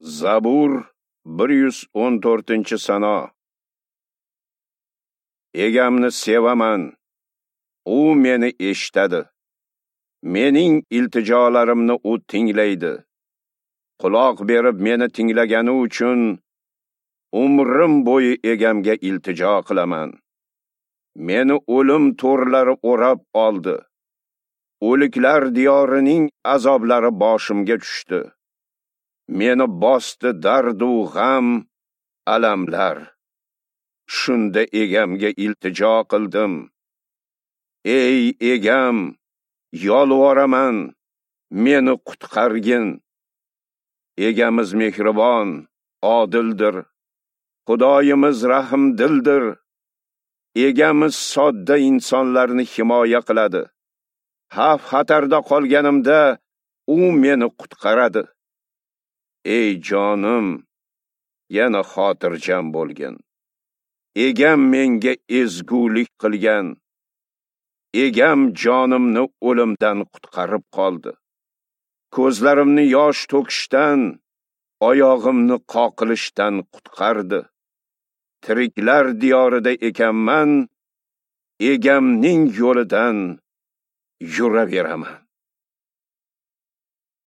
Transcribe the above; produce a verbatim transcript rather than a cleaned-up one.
Zabur bir yuz o'n to'rtinchi sano. Egamni sevaman, u meni eshitadi. Mening iltijolarimni u tinglaydi. Quloq berib meni tinglagani uchun umrim bo'yi egamga iltijo qilaman. Meni o'lim to'rlari o'rab oldi. O'liklar diyorining azoblari boshimga tushdi. Meni bosdi dardu g'am, alamlar. Shunda egamga iltijo qildim. Ey egam, yolvoraman, meni qutqargin. Egamiz mehribon, odildir. Xudoyimiz rahmdildir. Egamiz sodda insonlarni himoya qiladi. Xavf xatarda qolganimda u meni qutqaradi. Ey jonim, yana xotirjam bo'lgin. Egam menga ezgulik qilgan. Egam jonimni o'limdan qutqarib qoldi. Ko'zlarimni yosh to'kishdan, oyog'imni qoqilishdan qutqardi. Tiriklar diyorida ekanman, egamning yo'lidan yuraveraman.